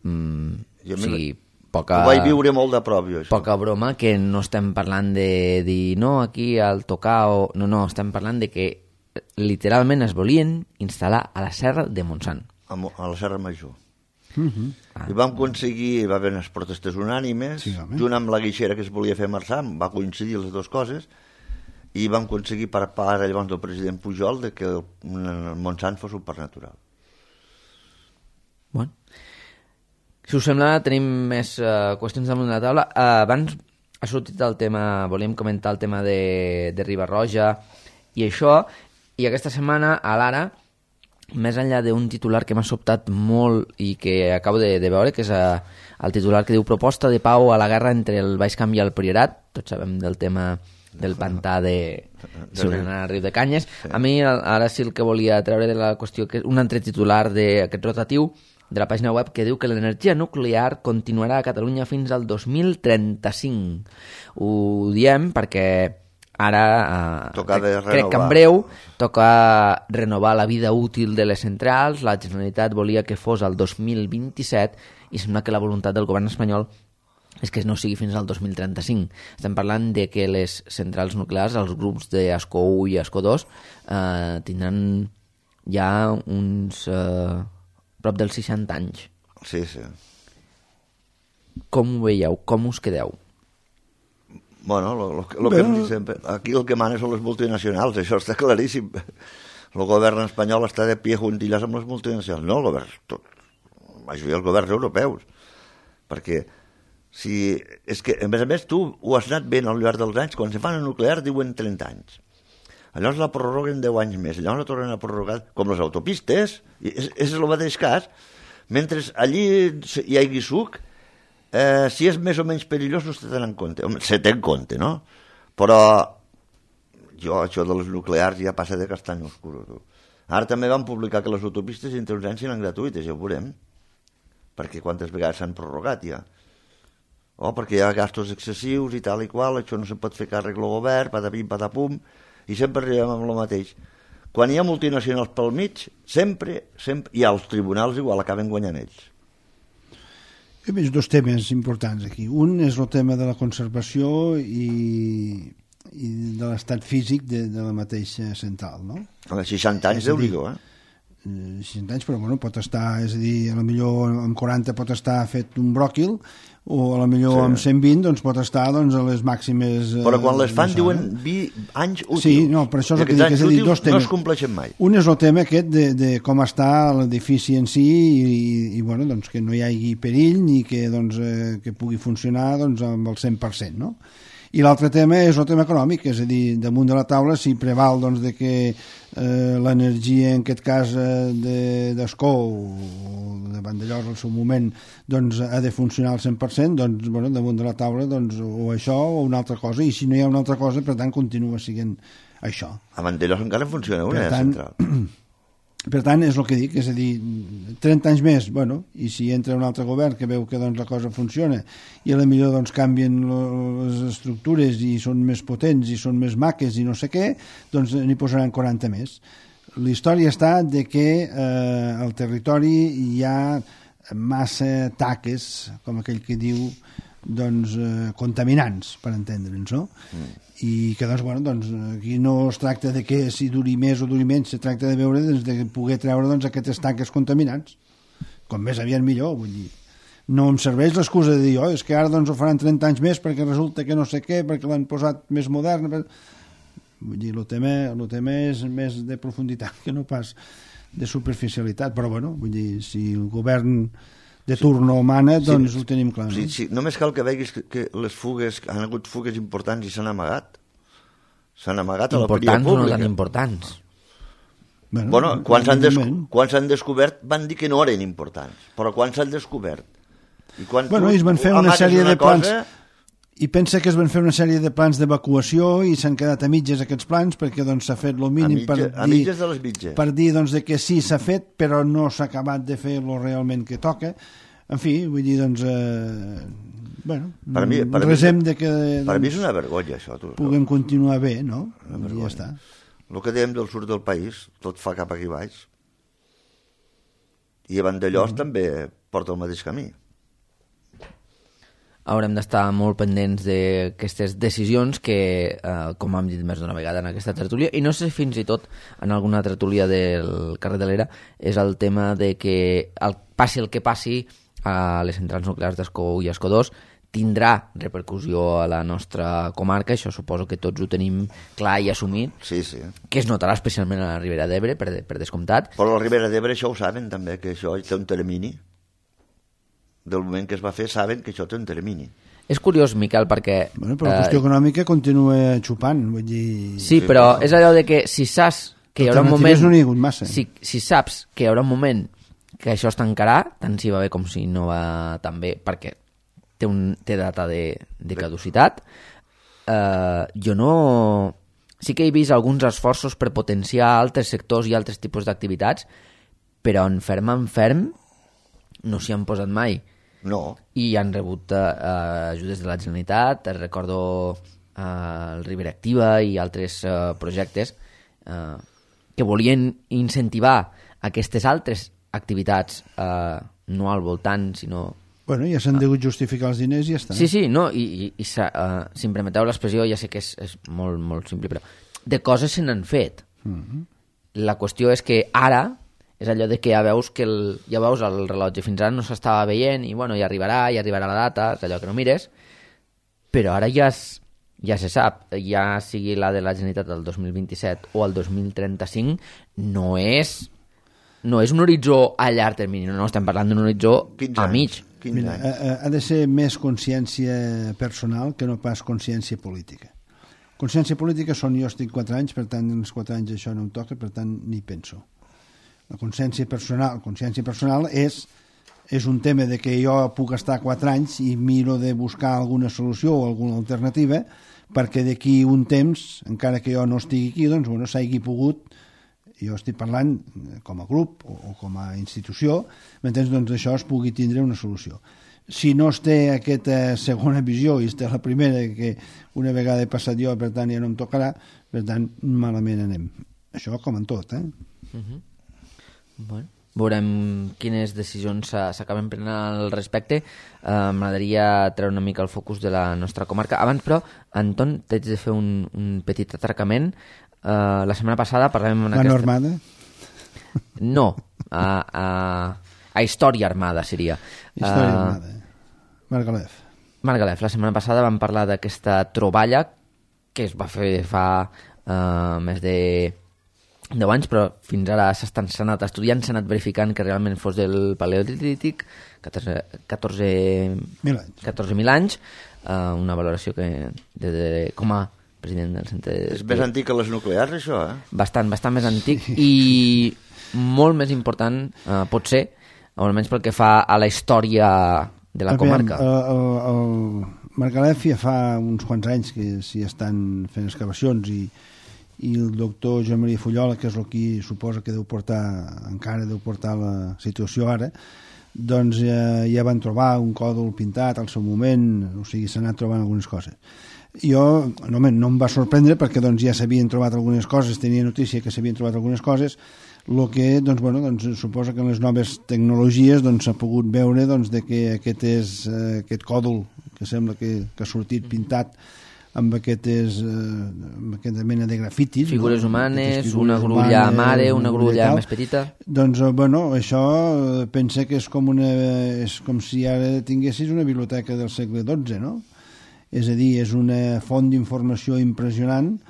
O sigui, ho vaig viure molt de prop, jo, això. Poca broma, que no estem parlant de dir no, aquí al tocar, o... no, estem parlant de que literalment es volien instal·lar a la Serra de Montsant. A la Serra Major. I vam aconseguir, va haver unes protestes unànimes, junt amb la guixera que es volia fer a Marçà, va coincidir les dues coses, i vam aconseguir per part llavors del president Pujol de que el Montsant fos un parc natural. Bueno. Si us sembla, tenim més qüestions damunt de la taula. Abans ha sortit el tema, volíem comentar el tema de Riba-roja i això, i aquesta setmana a l'Ara, més enllà d'un titular que m'ha sobtat molt i que acabo de veure, que és el titular que diu proposta de pau a la guerra entre el Baix Camp i el Priorat, tots sabem del tema del pantà de Riu de Canyes. A mi ara sí el que volia treure de la qüestió, que és un altre titular d'aquest rotatiu de la pàgina web que diu que l'energia nuclear continuarà a Catalunya fins al 2035. Ho diem perquè ara crec que en breu toca renovar la vida útil de les centrals. La Generalitat volia que fos el 2027 i sembla que la voluntat del govern espanyol és que no sigui fins al 2035. Estem parlant de que les centrals nuclears, els grups d'Ascó 1 i Ascó 2, tindran ja uns prop dels 60 anys. Sí, sí. Com ho veieu? Com us quedeu? Bueno, lo que hem dit sempre, aquí el que mana són les multinacionals, això està claríssim. El govern espanyol està de pie juntillas amb les multinacionals, no el govern, la majoria dels governs europeus, perquè si, és que, a més, tu ho has anat veient al llarg dels anys, quan se fan a nuclear diuen 30 anys. Llavors la prorroguen 10 anys més, llavors la tornen a prorrogar, com les autopistes, i és el mateix cas, mentre allí hi hagi suc, si és més o menys perillós no se té en compte. Home, se té en compte, no? Però jo, això de les nuclears ja passa de castany oscuro. Tu. Ara també van publicar que les autopistes entre uns anys seran gratuïtes, ja ho veurem. Perquè quantes vegades s'han prorrogat ja. Perquè hi ha gastos excessius i tal i qual, això no se pot fer càrrec el govern, patapim, patapum, i sempre arribem amb el mateix. Quan hi ha multinacionals pel mig, sempre, i als tribunals igual acaben guanyant ells. Hi ha més dos temes importants aquí. Un és el tema de la conservació i de l'estat físic de la mateixa central, no? A 60 anys, Déu-n'hi-do, 60 anys, però bueno, pot estar, és a dir, potser amb 40 pot estar fet un bròquil, o potser amb 120 doncs, pot estar doncs, a les màximes... Però quan les fan diuen anys útils. Sí, no, per això és el que dic, és a dir, dos temes. No es compleixen mai. Un és el tema aquest de com està l'edifici en si i bueno, doncs, que no hi hagi perill ni que, doncs, que pugui funcionar doncs, amb el 100%, no? I l'altre tema és el tema econòmic, és a dir, damunt de la taula si preval doncs, de que l'energia, en aquest cas d'Ascó o de Vandellòs al seu moment, doncs, ha de funcionar al 100%, doncs, bueno, damunt de la taula doncs, o això o una altra cosa, i si no hi ha una altra cosa, per tant, continua sent això. A Vandellòs encara funciona una central. Per tant, és el que dic, és a dir, 30 anys més, bueno, i si entra un altre govern que veu que doncs, la cosa funciona i a la millor doncs, canvien les estructures i són més potents i són més maques i no sé què, doncs n'hi posaran 40 més. La història està de que al territori hi ha massa taques, com aquell que diu, doncs, contaminants, per entendre'ns, no? I que doncs, bueno, doncs, aquí no es tracta de que si duri més o duri menys, se tracta de veure doncs, de poder treure doncs, aquestes taques contaminants, com més aviat millor, vull dir. No em serveix l'excusa de dir, és que ara doncs, ho faran 30 anys més perquè resulta que no sé què, perquè l'han posat més modern. Vull dir, el tema és més de profunditat que no pas de superficialitat, però bueno, vull dir, si el govern de turno mana, doncs ho tenim clar. No? Sí, només cal que veguis que les fugues, han hagut fugues importants i s'han amagat. S'han amagat a l'opinió pública. Importants o no tan importants? Bueno, quan s'han descobert van dir que no eren importants, però quan s'han descobert? I quan bueno, ells van fer una sèrie de plans... I pensa que es van fer una sèrie de plans d'evacuació i s'han quedat a mitges aquests plans perquè doncs, s'ha fet el mínim a mitges de les mitges. Per dir doncs, de que sí, s'ha fet, però no s'ha acabat de fer el realment que toca. En fi, vull dir, doncs... bueno, resem de que... Per mi és una vergonya, això. Puguem continuar bé, no? I ja està. El que dèiem del sud del país, tot fa cap aquí baix. I a Vandellòs també porta el mateix camí. haurem d'estar molt pendents d'aquestes decisions que, com hem dit més d'una vegada en aquesta tertúlia, i no sé fins i tot en alguna tertúlia del carrer de l'Era, és el tema de que passi el que passi a les centrals nuclears d'Escó 1 i Escó 2 tindrà repercussió a la nostra comarca, això suposo que tots ho tenim clar i assumit, Sí, sí. que es notarà especialment a la Ribera d'Ebre, per descomptat. Però la Ribera d'Ebre això ho saben també, que això té un termini. Del moment que es va fer saben que això té un termini. És curiós, Miquel, perquè... Bueno, però la qüestió econòmica continua xupant, vull dir... Sí, però és allò de que si saps que hi haurà un moment... Alternatives no n'hi ha hagut massa. Si saps que hi haurà un moment que això es tancarà, tant si va bé com si no va tan bé, perquè té data de caducitat, jo no... Sí que he vist alguns esforços per potenciar altres sectors i altres tipus d'activitats, però en ferm no s'hi han posat mai. No. I han rebut ajudes de la Generalitat, recordo el Ribera Activa i altres projectes que volien incentivar aquestes altres activitats no al voltant, sinó... Bueno, ja s'han degut justificar els diners i ja està. Sí, no, i si em permeteu l'expressió, ja sé que és molt, molt simple, però de coses se n'han fet. La qüestió és que ara és allò de que ja veus el rellotge, fins ara no s'estava veient i bueno, ja arribarà la data, és allò que no mires, però ara ja se sap, ja sigui la de la Generalitat del 2027 o el 2035, no és un horitzó a llarg termini, no estem parlant d'un horitzó a mig. Mira, ha de ser més consciència personal que no pas consciència política. Consciència política són jo estic 4 anys, per tant, en els 4 anys això no em toca, per tant, ni penso. La consciència personal és un tema de que jo puc estar 4 anys i miro de buscar alguna solució o alguna alternativa perquè d'aquí un temps, encara que jo no estigui aquí, doncs, bueno, s'hagi pogut, jo estic parlant com a grup o com a institució, m'entens? Doncs això es pugui tindre una solució. Si no es té aquesta segona visió i es té la primera, que una vegada he passat jo, per tant ja no em tocarà, per tant malament anem. Això com en tot, Bueno, veurem quines decisions s'acaben prenent al respecte. M'agradaria treure una mica el focus de la nostra comarca. Abans, però, Anton, t'haig de fer un petit atracament. La setmana passada parlàvem... La Armada? No, a Història Armada seria. Història Armada. Margalef. La setmana passada vam parlar d'aquesta troballa que es va fer fa més de 10 anys, però fins ara s'han anat estudiant, s'ha anat verificant que realment fos del Paleolític, 14.000 anys, una valoració que com a president del centre... És més antic que les nuclears, això, Bastant més antic i molt més important, pot ser, almenys pel que fa a la història de la comarca. El Margalef ja fa uns quants anys que s'hi estan fent excavacions i el doctor Joan Maria Fullola, que és el qui suposa que encara deu portar la situació ara, doncs ja van trobar un còdol pintat al seu moment, o sigui, s'ha anat trobant algunes coses. Jo no em va sorprendre perquè doncs, ja s'havien trobat algunes coses, tenia notícia que s'havien trobat algunes coses, el que doncs, suposa que en les noves tecnologies s'ha pogut veure de que aquest còdol que sembla que ha sortit pintat amb aquesta mena de grafitis. Figures humanes, una grulla mare, una grulla més petita. Doncs, això pensa que és com si ara tinguessis una biblioteca del segle XII, no? És a dir, és una font d'informació impressionant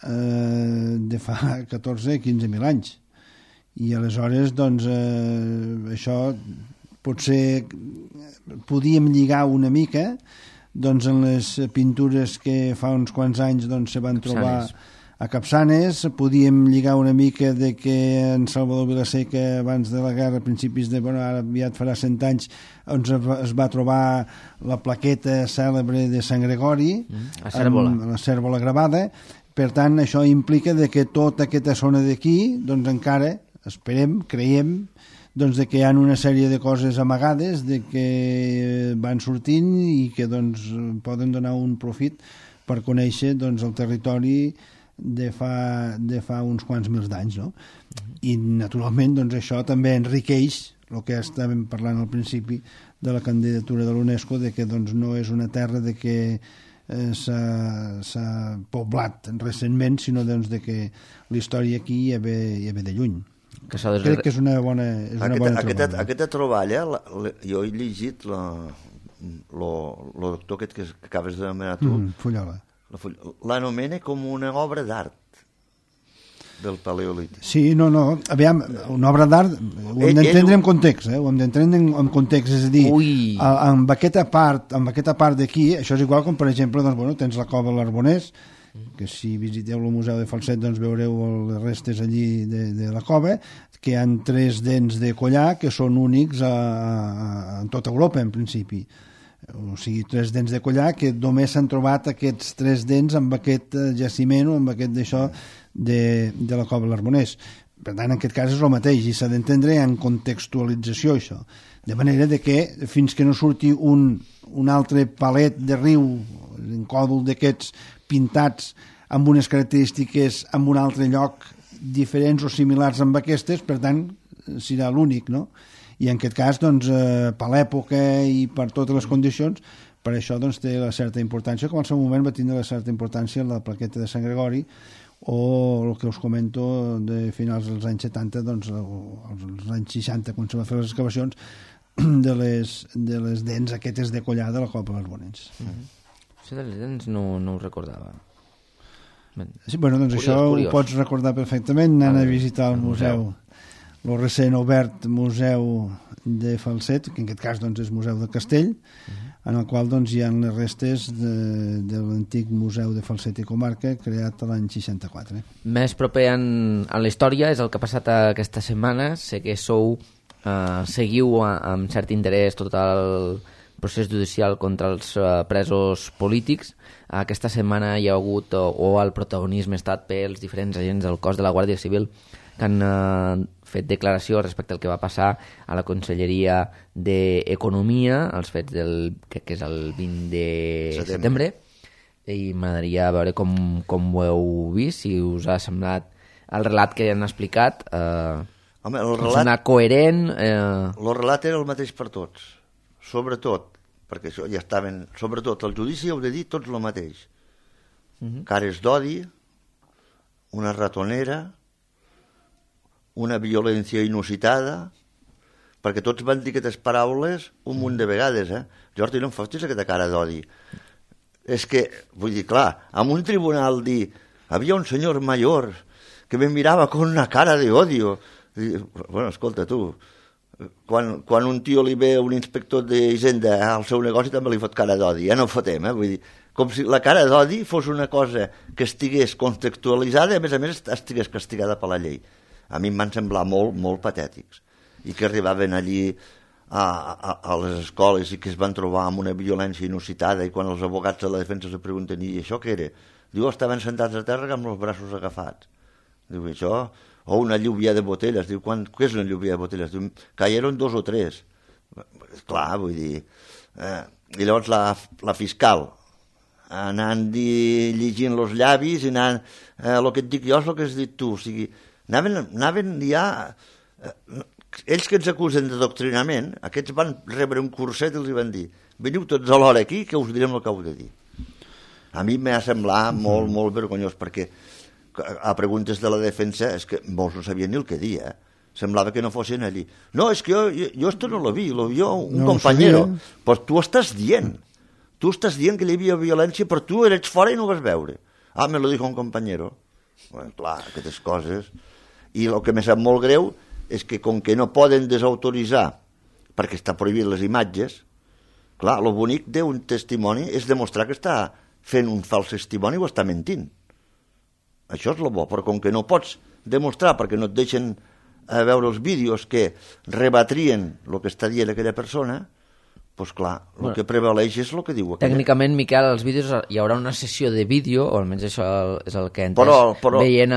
de fa 14-15.000 anys. I aleshores, doncs, això potser podíem lligar una mica en les pintures que fa uns quants anys se van trobar a Capçanes, podíem lligar una mica de que en Salvador Vilaseca abans de la guerra, a principis ara aviat farà 100 anys, es va trobar la plaqueta cèlebre de Sant Gregori, la cèrvola gravada. Per tant, això implica que tota aquesta zona d'aquí, encara, esperem, creiem, de que hi ha una sèrie de coses amagades de que van sortint i que poden donar un profit per conèixer el territori de fa uns quants mils d'anys, no? I naturalment això també enriqueix el que estàvem parlant al principi de la candidatura de l'UNESCO, de que doncs, no és una terra de que s'ha poblat recentment, sinó doncs, de que la història aquí ja ve de lluny. Crec que és una bona troballa. Aquesta troballa, jo he llegit el doctor aquest que acabes d'anomenar tu, Fullola. L'anomena com una obra d'art del Paleolític. Sí, no, aviam, una obra d'art ho hem d'entendre en context, ho hem d'entendre en context, és a dir, amb aquesta part d'aquí, això és igual com, per exemple, doncs, bueno, tens la cova de l'Arbonès, que si visiteu el Museu de Falset doncs veureu les restes allí de la cova, que hi ha 3 dents de collar que són únics en tota Europa, en principi. O sigui, 3 dents de collar que només s'han trobat aquests 3 dents amb aquest jaciment o amb aquest d'això de la cova de l'Arbonès. Per tant, en aquest cas és el mateix i s'ha d'entendre en contextualització això, de manera de que fins que no surti un altre palet de riu, un còdol d'aquests pintats amb unes característiques en un altre lloc diferents o similars amb aquestes, per tant serà l'únic, no? I en aquest cas, doncs, per l'època i per totes les condicions, per això doncs, té la certa importància, com al seu moment va tindre la certa importància la plaqueta de Sant Gregori, o el que us comento de finals dels anys 70, doncs, als anys 60, quan se va fer les excavacions de les dents aquestes de collar de la Cova de l'Arbonès. Això de les dents no ho recordava. Sí, bueno, doncs curiós, això ho pots recordar perfectament anant a visitar el museu. El recent obert Museu de Falset, que en aquest cas doncs, és Museu del Castell, en el qual doncs, hi ha les restes de l'antic Museu de Falset i Comarca, creat l'any 64. Més proper en la història és el que ha passat aquesta setmana. Sé que seguiu amb cert interès tot el procés judicial contra els presos polítics. Aquesta setmana hi ha hagut, o el protagonisme ha estat pels diferents agents del cos de la Guàrdia Civil que han fet declaració respecte al que va passar a la Conselleria d'Economia, els fets que és el 20 de setembre, i m'agradaria veure com ho heu vist, si us ha semblat el relat que han explicat. Home, el relat coherent. El relat era el mateix per tots, sobretot, perquè això ja estaven, sobretot el judici heu de dir tots el mateix. Cares d'odi, una ratonera, una violència inusitada, perquè tots van dir aquestes paraules un munt de vegades, Jordi, no em fotis aquesta cara d'odi. És que, vull dir, clar, en un tribunal dir, havia un senyor major que me mirava con una cara de odio. Bueno, escolta, tu, quan un tio li ve un inspector d'Hisenda al seu negoci també li fot cara d'odi, ja no fotem, vull dir, com si la cara d'odi fos una cosa que estigués contextualitzada i a més estigués castigada per la llei. A mi em van semblar molt, molt patètics. I que arribaven allí a les escoles i que es van trobar amb una violència inusitada i quan els abogats de la defensa se pregunten i això què era? Diu, estaven sentats a terra amb els braços agafats. Diu, això... O una lluvia de botelles. Diu, què és una lluvia de botelles? Diu, caieron 2 o 3. Clar, vull dir... I llavors la fiscal anant llegint els llavis i anant... El que et dic jo és el que has dit tu, o sigui... Anaven ja... Ells que ens acusen d'adoctrinament, aquests van rebre un curset i els van dir veniu tots a l'hora aquí que us direm el que heu de dir. A mi m'ha semblat molt, molt vergonyós, perquè a preguntes de la defensa és que molts no sabien ni el que dir, semblava que no fossin allí. No, és que jo esto no lo vi, lo vio un compañero. Pues tu estàs dient que hi havia violència, però tu eres fora i no ho vas veure. Ah, me lo dijo un compañero. Bueno, clar, aquestes coses... I el que m'ha sap molt greu és que com que no poden desautoritzar perquè està prohibit les imatges, clar, el bonic d'un testimoni és demostrar que està fent un fals testimoni o està mentint. Això és el bo, però com que no pots demostrar perquè no et deixen veure els vídeos que rebatrien el que està dient aquella persona, doncs clar, el que prevaleix és el que diu aquella. Tècnicament, Miquel, als vídeos hi haurà una sessió de vídeo, o almenys això és el que he entès, veient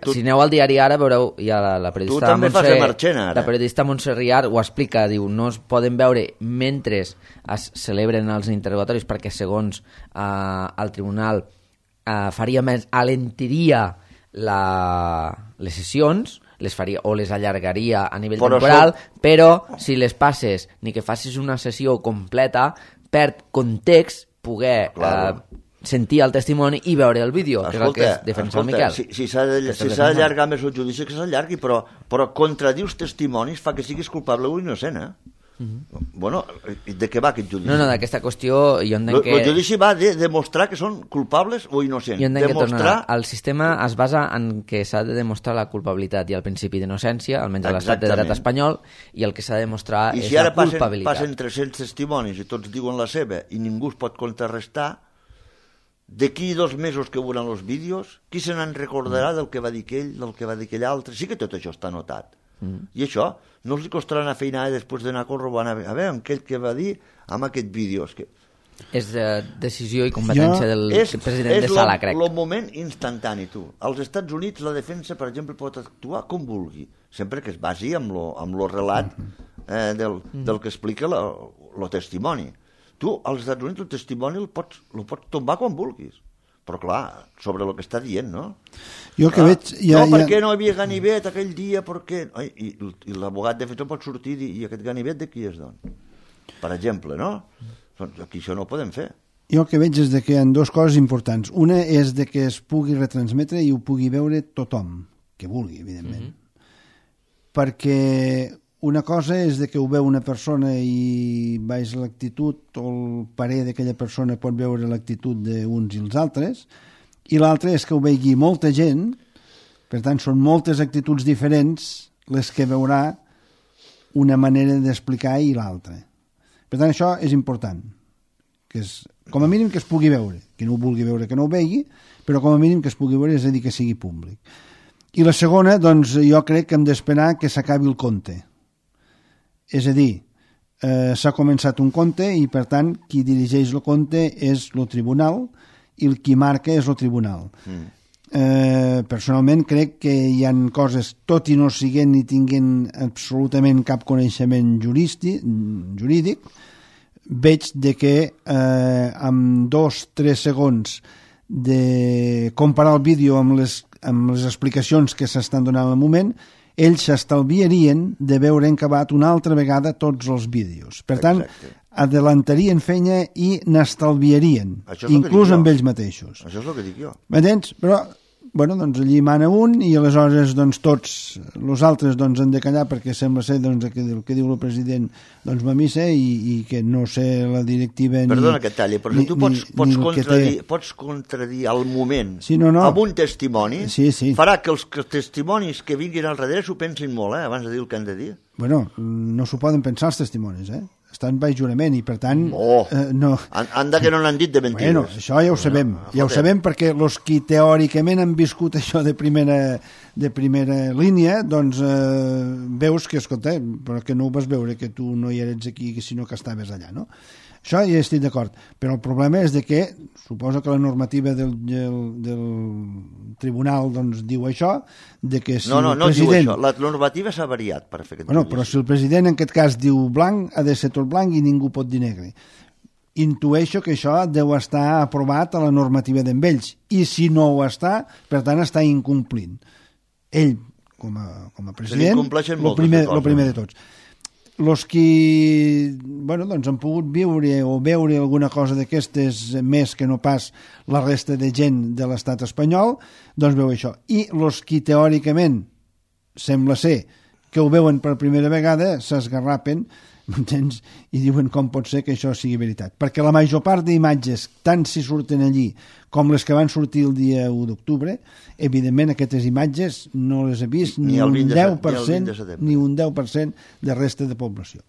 si aneu al diari Ara, veureu, hi ha la periodista... Tu també fas de Marchena, ara. La periodista Montse Riar ho explica, diu, no es poden veure mentre es celebren els interrogatoris, perquè segons el tribunal alentiria les sessions, les faria o les allargaria a nivell Però temporal, però si les passes ni que facis una sessió completa, perd context poder sentir el testimoni i veure el vídeo, que és el que defensa el Miquel. Si s'ha d'allargar més el judici, que s'allargui, però contradir els testimonis fa que siguis culpable o innocent, Bueno, de què va aquest judici? No, d'aquesta qüestió jo entenc que... El judici va de demostrar que són culpables o innocents. Jo entenc que el sistema es basa en que s'ha de demostrar la culpabilitat i el principi d'innocència, almenys a l'estat de dret espanyol, i el que s'ha de demostrar és la culpabilitat. I si ara passen 300 testimonis i tots diuen la seva i ningú es pot contrarrestar, d'aquí 2 mesos que veuran els vídeos, qui se n'en recordarà del que va dir aquell, del que va dir aquell altre? Sí que tot això està notat. I això no els costarà una feinada després d'anar corroborant a veure aquell que va dir amb aquest vídeo. És decisió i competència del president de sala, crec. És el moment instantani, tu. Als Estats Units la defensa, per exemple, pot actuar com vulgui, sempre que es basi amb lo relat del que explica el testimoni. Tu, als Estats Units, el testimoni el pots tombar quan vulguis. Però clar, sobre el que està dient, no? Jo que veig... Per què no hi havia ganivet aquell dia? I l'abogat defensor pot sortir i dir, i aquest ganivet de qui és, doncs? Per exemple, no? Aquí això no ho podem fer. Jo el que veig és que hi ha 2 coses importants. Una és de que es pugui retransmetre i ho pugui veure tothom, que vulgui, evidentment. Perquè una cosa és de que ho veu una persona i baix l'actitud o el parer d'aquella persona pot veure l'actitud d'uns i els altres, i l'altra és que ho vegi molta gent, per tant són moltes actituds diferents les que veurà una manera d'explicar i l'altra. Per tant això és important, que és, com a mínim que es pugui veure, que no ho vulgui veure que no ho vegi, però com a mínim que es pugui veure, és a dir, que sigui públic. I la segona, doncs jo crec que hem d'esperar que s'acabi el conte. És a dir, s'ha començat un conte i, per tant, qui dirigeix el conte és el tribunal i el qui marca és el tribunal. Personalment crec que hi ha coses, tot i no siguent ni tinguent absolutament cap coneixement jurídic, veig de que amb 2-3 segons de comparar el vídeo amb les explicacions que s'estan donant al moment, ells s'estalviarien de veure acabat una altra vegada tots els vídeos. Per tant, adelantarien feina i n'estalviarien, inclús amb ells mateixos. Això és el que dic jo. M'entens? Però, bueno, doncs allí mana un i aleshores doncs tots els altres doncs han de callar perquè sembla ser doncs, el que diu el president doncs va a missa i que no sé la directiva ni... Perdona que talli, però si tu pots contradir al moment amb un testimoni, farà que els testimonis que vinguin al darrere s'ho pensin molt, abans de dir el que han de dir. Bueno, no s'ho poden pensar els testimonis, estan baix jurament i per tant no... Anda que no n'han dit de mentides. Bueno, això ja ho sabem, ho sabem perquè els qui teòricament han viscut això de primera línia, doncs veus que, escolta, però que no ho vas veure, que tu no hi eres aquí, sinó que estaves allà, no? Això ja estic d'acord, però el problema és de que suposo que la normativa del tribunal doncs diu això, de que si no el diu president... això, la normativa s'ha variat per fer aquest judici. Però si el president en aquest cas diu blanc, ha de ser tot blanc i ningú pot dir negre. Intueixo que això deu estar aprovat a la normativa d'ells, i si no ho està, per tant està incomplint. Ell, com a president, el primer de tots. Els qui doncs han pogut viure o veure alguna cosa d'aquestes més que no pas la resta de gent de l'estat espanyol, doncs veu això. I els qui teòricament sembla ser que ho veuen per primera vegada s'esgarrapen, m'entens? I diuen com pot ser que això sigui veritat. Perquè la major part d'imatges, tant si surten allí com les que van sortir el dia 1 d'octubre, evidentment aquestes imatges no les ha vist ni un 10% de resta de població.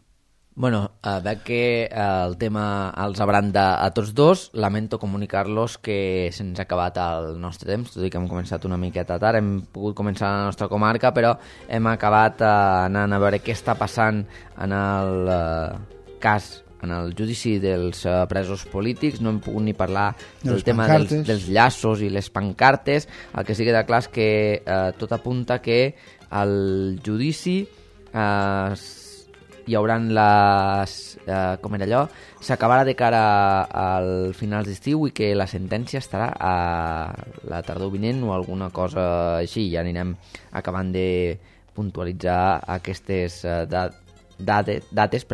Bueno, veig que el tema els abranda a tots dos. Lamento comunicar-los que se'ns ha acabat el nostre temps, tot i que hem començat una miqueta tard. Hem pogut començar a la nostra comarca, però hem acabat anant a veure què està passant en el cas, en el judici dels presos polítics. No hem pogut ni parlar del tema dels llaços i les pancartes. El que sí que queda clar és que tot apunta que el judici hi hauran com era allò, s'acabarà de cara al final d'estiu i que la sentència estarà a la tardor vinent o alguna cosa així. Ja anirem acabant de puntualitzar aquestes dates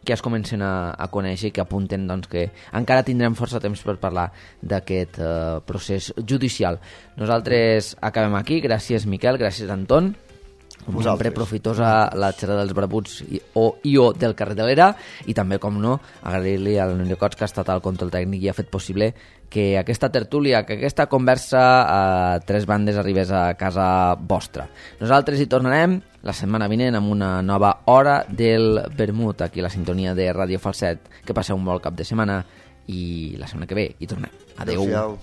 que es comencen a conèixer i que apunten doncs, que encara tindrem força temps per parlar d'aquest procés judicial. Nosaltres acabem aquí. Gràcies, Miquel, gràcies, Anton. Com sempre, profitosa la xerrada dels Barbuts o del carrer de l'Era, i també, com no, agrair-li a l'Unió Cots, que ha estat al control tècnic i ha fet possible que aquesta tertúlia, que aquesta conversa a tres bandes arribés a casa vostra. Nosaltres hi tornarem la setmana vinent amb una nova hora del vermut, aquí a la sintonia de Ràdio Falset. Que passeu un bon cap de setmana i la setmana que ve hi tornem. Adéu. Adéu-siau.